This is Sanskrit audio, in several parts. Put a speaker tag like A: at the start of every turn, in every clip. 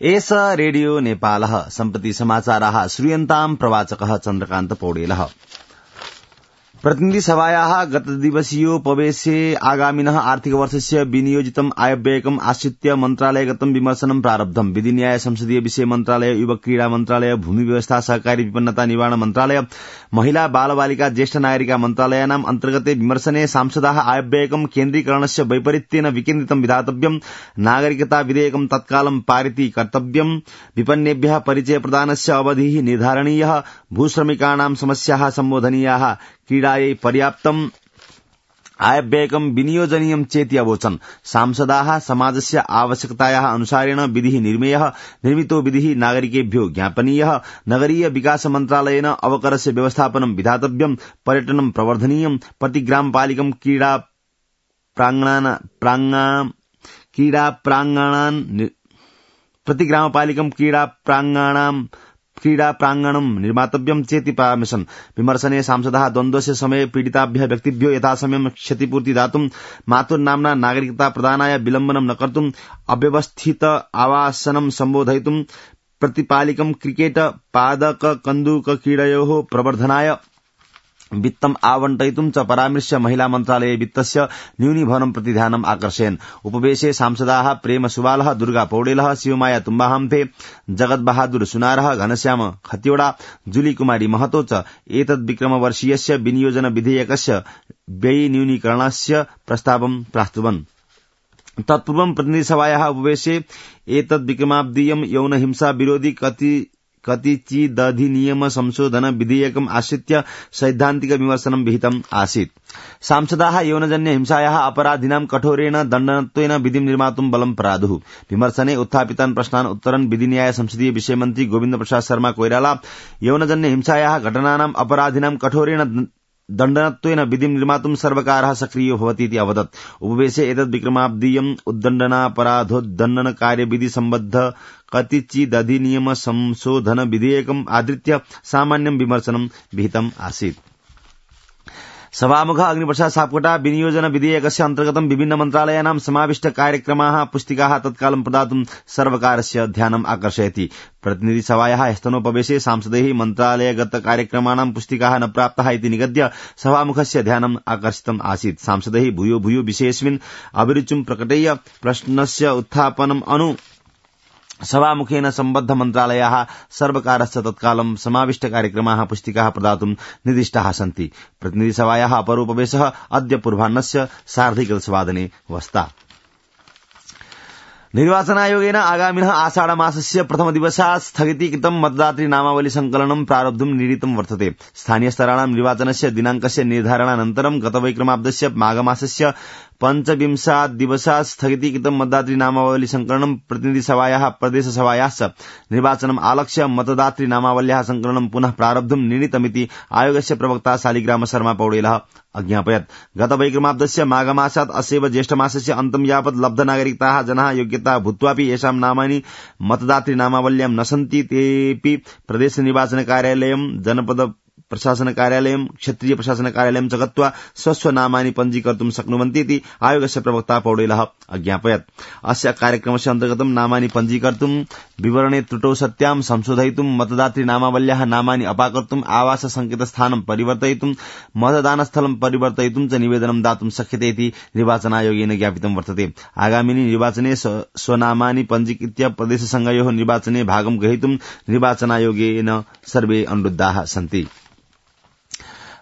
A: एष रेडियो नेपालः सम्प्रति समाचाराः श्रूयन्ताम् प्रवाचकः चन्द्रकान्त पौडेलः। प्रतिनिधिसभायाः गतदिवसीयोपवेशे आगामिनः आर्थिकवर्षस्य विनियोजितम् आयव्ययकम् आश्रित्य मन्त्रालयगतं विमर्शनं प्रारब्धम्। विधि न्याय संसदीय विषय मन्त्रालय, युवक क्रीडा मन्त्रालय, भूमि व्यवस्था सहकारी विपन्नता निवारण मन्त्रालय, महिला बाल बालिका ज्येष्ठ नागरिका मन्त्रालयानाम् अन्तर्गते विमर्शने सांसदाः आयव्ययकम् केन्द्रीकरणस्य वैपरीत्येन विकेन्द्रितं विधातव्यम्, नागरिकता विधेयकं तत्कालं पारिती कर्तव्यम्, विपन्नेभ्यः परिचय प्रदानस्य अवधिः निर्धारणीयः, भूश्रमिकाणां समस्याः सम्बोधनीयाः, क्रीडायै पर्याप्तम् आयव्ययकं विनियोजनीयं चेति अवोचन्। सांसदाः समाजस्य आवश्यकतायाः अनुसारेण विधिः निर्मेयः, निर्मितो विधिः नागरिकेभ्यो ज्ञापनीयः, नगरीय विकास मन्त्रालयेन अवकरस्य व्यवस्थापनं विधातव्यम्, पर्यटनं प्रवर्धनीयम्, प्रतिग्रामपालिकं क्रीडा प्राङ्गणं निर्मातव्यं चेति परामर्शन्। विमर्शने सांसदाः द्वन्द्वस्य समये पीडिताभ्यः व्यक्तिभ्यो यथासमयं क्षतिपूर्ति दातुं, मातुर्नाम्ना नागरिकता प्रदानाय विलम्बनं न कर्तुं, अव्यवस्थित आवासनं सम्बोधयितुं, प्रतिपालिकं क्रिकेट पादक कन्दुक क्रीडयोः प्रवर्धनाय वित्तम् आवंटयितुं च परामर्श्य महिला मन्त्रालये वित्तस्य न्यूनीभवनं प्रति ध्यानम् आकर्षयन्। उपवेशे सांसदाः प्रेम सुबालः, दुर्गा पौडेलः, शिवमाया तुम्बाहम्थे, जगत बहादुर सुनारः, घनश्याम खतिवड़ा, जुली कुमारी महतो च एतद्विक्रमवर्षीयस्य विनियोजन विधेयकस्य व्ययी न्यूनीकरणस्य प्रस्तावं प्रास्तुवन्। तत्पूर्वं प्रतिनिधिसभायाः उपवेशे एतद्विक्रमाब्दीयं यौन हिंसा विरोधी कतिचिदधिनियम संशोधन विधेयकम् आश्रित्य सैद्धान्तिक विमर्शनं विहितम् आसीत्। सांसदाः यौनजन्य हिंसायाः अपराधिनां कठोरेण दण्डनत्वेन विधिं निर्मातुं बलं प्रादुः। विमर्शने उत्थापितान् प्रश्नान् उत्तरन् विधि न्याय संसदीय विषय मन्त्री गोविन्द प्रसाद शर्मा कोइराला यौनजन्य हिंसायाः घटनानाम् अपराधिनां कठोरेण दण्डनत्वेन विधिं निर्मातुं सर्वकारः सक्रियो भवति इति अवदत्। उपवेशे एतद्विक्रमाब्दीयम् उद्दण्डनापराधोद्दण्डन कार्यविधि सम्बद्ध कतिचिदधिनियम संशोधन विधेयकम् आधृत्य सामान्यं विमर्शनं विहितम् आसीत्। सभामुखः अग्निप्रसाद सापकोटा विनियोजन विधेयकस्य अन्तर्गतं विभिन्न मन्त्रालयानां समाविष्ट कार्यक्रमाः पुस्तिकाः तत्कालं प्रदातुं सर्वकारस्य ध्यानम् आकर्षयति। प्रतिनिधिसभायाः ह्यस्तनोपवेशे सांसदैः मन्त्रालयगत कार्यक्रमाणां पुस्तिकाः न प्राप्ताः इति निगद्य सभामुखस्य ध्यानम् आकर्षितम् आसीत्। सांसदैः भूयो भूयो विषयेऽस्मिन् अभिरुचिं प्रकटय्य प्रश्नस्य उत्थापनम् अनु सभामुखेन सम्बद्ध मन्त्रालयाः सर्वकारस्य तत्कालं समाविष्ट कार्यक्रमाः पुस्तिकाः प्रदातुं निर्दिष्टाः सन्ति। प्रतिनिधिसभायाः अपरोपवेशः अद्य पूर्वाह्नस्य 1:30 वस्ता। निर्वाचनायोगेन आगामिनः आषाढमासस्य प्रथमदिवसात् स्थगितीकृतं मतदातृ नामावली संकलनं प्रारब्धुं निर्णीतं वर्तते। स्थानीयस्तराणां निर्वाचनस्य दिनाङ्कस्य निर्धारणानन्तरं गतवैक्रमाब्दस्य माघमासस्य 25 दिवसात् स्थगितीकृतं मतदातृ नामावली संकलनं प्रतिनिधिसभायाः प्रदेशसभायाश्च निर्वाचनम् आलक्ष्य मतदातृ नामावल्याः संकलनं पुनः प्रारब्धुं निर्णीतमिति आयोगस्य प्रवक्ता शालिग्राम शर्मा पौडेलः अज्ञापयत्। गतवैक्रमाब्दस्य माघमासात् अस्यैव ज्येष्ठमासस्य अन्तं यावत् लब्धनागरिकाः जनाः योग्यता भूत्वापि येषां नामानि मतदातृ नामावल्यां न सन्ति तेऽपि प्रदेश निर्वाचन कार्यालयं, जनपद प्रशासन कार्यालयं, क्षेत्रीय प्रशासन कार्यालयं च गत्वा स्वस्वनामानि पञ्जीकर्तुं शक्नुवन्ति इति आयोगस्य प्रवक्ता पौडेलः अज्ञापयत्। अस्य कार्यक्रमस्य अन्तर्गतं नामानि पञ्जीकर्तुं, विवरणे त्रुटौ सत्यां संशोधयितुं, मतदातृ नामावल्याः नामानि अपाकर्तुं, आवास संकेतस्थानं परिवर्तयितुं, मतदानस्थलं परिवर्तयितुं च निवेदनं दातुं शक्यते इति निर्वाचनायोगेन ज्ञापितं वर्तते। आगामिनि निर्वाचने स्वनामानि पञ्जीकृत्य प्रदेशसङ्घयोः निर्वाचने भागं ग्रहीतुं निर्वाचनायोगेन सर्वे अनुरुद्धाः सन्ति।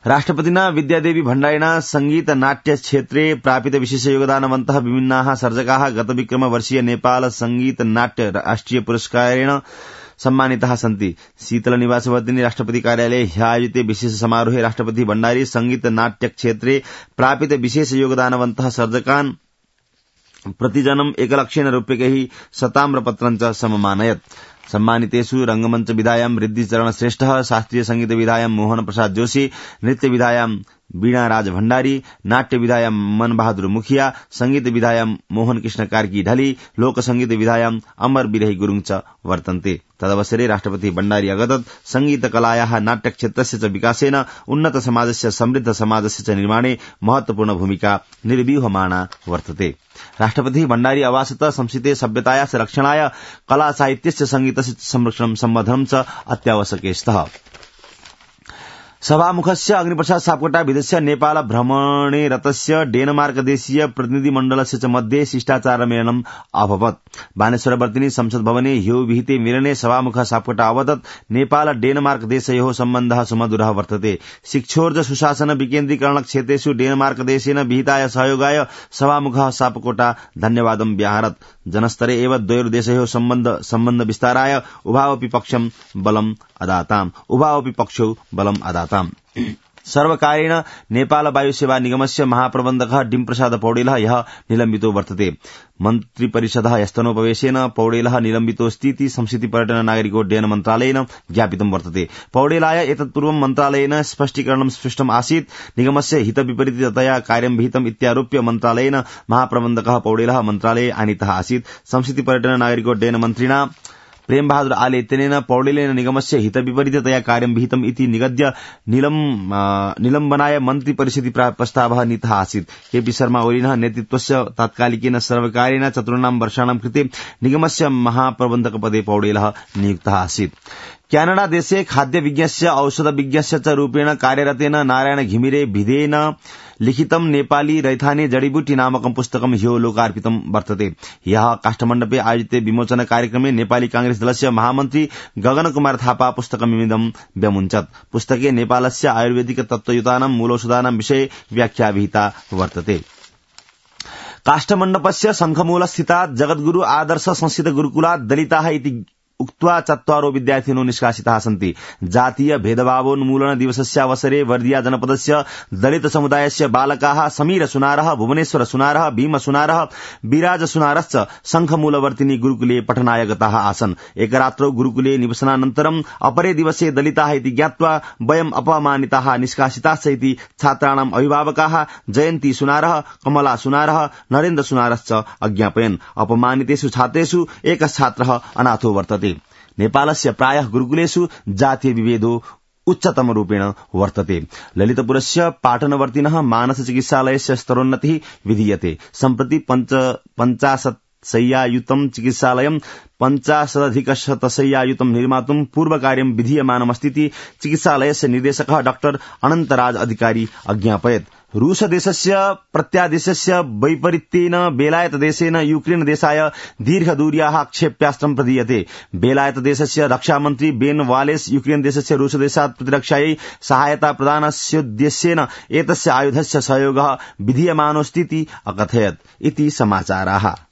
A: राष्ट्रपतिना विद्यादेवी भण्डारिणा संगीत नाट्य क्षेत्रे प्रापित विशेष योगदानवन्तः विभिन्नाः सर्जकाः गतविक्रमवर्षीय नेपाल संगीत नाट्य राष्ट्रिय पुरस्कारेण सम्मानिताः सन्ति। शीतलनिवासवर्तिनी राष्ट्रपति कार्यालये ह्यायोजिते विशेष समारोहे राष्ट्रपति भण्डारी संगीत नाट्य क्षेत्रे प्रापित विशेष योगदानवन्तः सर्जकान् प्रतिजनम् 1 लक्षेन रूप्यकैः शताम्रपत्रं च सममानयत्। सम्मानितेषु रंगमंच विधायां रिद्धिचरण श्रेष्ठः, शास्त्रीय संगीत विधायां मोहन प्रसाद जोशी, नृत्य विधायां वीणा राज भण्डारी, नाट्य विधायां मन बहादुर मुखिया, संगीत विधायां मोहन कृष्ण कार्की ढली, लोक संगीत विधायां अमर बिरही गुरुङ च वर्तन्ते। तदवसरे राष्ट्रपति भण्डारी अगदत् संगीत कलायाः नाट्य क्षेत्रस्य च विकासेन उन्नत समाजस्य समृद्ध समाजस्य च निर्माणे महत्वपूर्ण भूमिका निर्व्यूहमाना वर्तते। राष्ट्रपति भण्डारी अवासत संस्कृते सभ्यतायाः रक्षणाय कला साहित्यस्य संगीतस्य संरक्षणं सम्वर्धनं च अत्यावश्यके स्तः। सभामुखस्य अग्निप्रसाद सापकोटा विदेशस्य नेपाल भ्रमणे रतस्य डेनमार्क देशीय प्रतिनिधिमण्डलस्य च मध्ये शिष्टाचारमेलनम् अभवत्। बानेश्वरवर्तिनी संसद भवने ह्यो विहिते मेलने सभामुख सापकोटा अवदत् नेपाल डेनमार्क देशयोः सम्बन्धः सुमधुरः वर्तते। शिक्षोर्ज सुशासन विकेन्द्रीकरण क्षेत्रेषु डेनमार्क देशेन विहिताय सहयोगाय सभामुखः सापकोटा धन्यवादं व्याहरत्। जनस्तरे एव द्वयोर् देशयोः सम्बन्ध विस्ताराय उभावपि पक्षौ बलम् अदाताम्। सर्वकारेण नेपाल वायुसेवा निगमस्य महाप्रबन्धकः डिम्प्रसाद पौडेलः यः निलम्बितो वर्तते। मन्त्रिपरिषदः यस्तनोपवेशेन पौडेलः निलम्बितोऽस्तीति संस्कृति पर्यटन नागरिकोड्डयन मन्त्रालयेन ज्ञापितं वर्तते। पौडेलाय एतत्पूर्वं मन्त्रालयेन स्पष्टीकरणं सृष्टम् आसीत्। निगमस्य हितविपरीततया कार्यं विहितम् इत्यारोप्य मन्त्रालयेन महाप्रबन्धकः पौडेलः मन्त्रालये आनीतः आसीत्। संस्कृति पर्यटन नागरिकोड्डयन मन्त्रिणा प्रेम बहादुर आले इत्यनेन पौडेलेन निगमस्य हितविपरीततया कार्यं विहितम् इति निगद्य निलम्बनाय मन्त्रिपरिषदि प्रस्तावः नीतः आसीत्। केपी शर्मा ओलीनः नेतृत्वस्य तात्कालिकेन सर्वकारेण 4 वर्षाणां कृते निगमस्य महाप्रबन्धकपदे पौडेलः नियुक्तः आसीत्। क्यानाडा देशे खाद्य विज्ञस्य औषध विज्ञस्य च रूपेण कार्यरतेन नारायण घिमिरे भिदेन लिखितं नेपाली रैथाने जडीबुटी नामकं पुस्तकं ह्यो लोकार्पितं वर्तते। ह्यः काष्ठमण्डपे आयोजिते विमोचन कार्यक्रमे नेपाली कांग्रेस दलस्य महामन्त्री गगन कुमार थापा पुस्तकमिदं व्यमुञ्चत्। पुस्तके नेपालस्य आयुर्वेदिक तत्त्वयुतानां मूलौषधानां विषये व्याख्या विहिता वर्तते। काष्ठमण्डपस्य शङ्खमूलस्थितात् जगद्गुरु आदर्श संस्कृत गुरुकुलात् दलिताः इति उक्त्वा 4 विद्यार्थिनो निष्कासिताः सन्ति। जातीय भेदभावोन्मूलन दिवसस्यावसरे वर्दिया जनपदस्य दलित समुदायस्य बालकाः समीर सुनारः, भुवनेश्वर सुनारः, भीम सुनारः, विराज सुनारश्च शङ्खमूलवर्तिनी गुरुकुले पठनाय गताः आसन्। एकरात्रौ गुरुकुले निवसनानन्तरम् अपरे दिवसे दलिताः इति ज्ञात्वा वयम् अपमानिताः निष्कासिताश्च इति छात्राणाम् अभिभावकाः जयन्ती सुनारः, कमला सुनारः, नरेन्द्र सुनारश्च अज्ञापयन्। अपमानितेषु छात्रेषु एकः छात्रः अनाथो वर्तते। नेपालस्य प्रायः गुरुकुलेषु जातीय विभेदो उच्चतम रूपेण वर्तते। ललितपुरस्य पाटनवर्तिनः मानस चिकित्सालयस्य स्तरोन्नतिः विधीयते। सम्प्रति 50 शय्यायुतं चिकित्सालयं 50 शय्यायुतं निर्मातुं पूर्वकार्यं विधीयमानमस्तीति चिकित्सालयस्य निर्देशकः डाक्टर अनन्तराज अधिकारी अज्ञापयत्। रूस देशस्य प्रत्यादेशस्य वैपरीत्येन बेलायत देशेन यूक्रेन देशाय दीर्घदूर्याः क्षेप्यास्त्रं प्रदीयते। बेलायत देशस्य रक्षामन्त्री बेन वालेस यूक्रेन देशस्य रूस देशात् प्रतिरक्षायै सहायता प्रदानस्योद्देश्येन एतस्य आयुधस्य सहयोगः विधीयमानोऽस्तीति अकथयत् इति समाचाराः।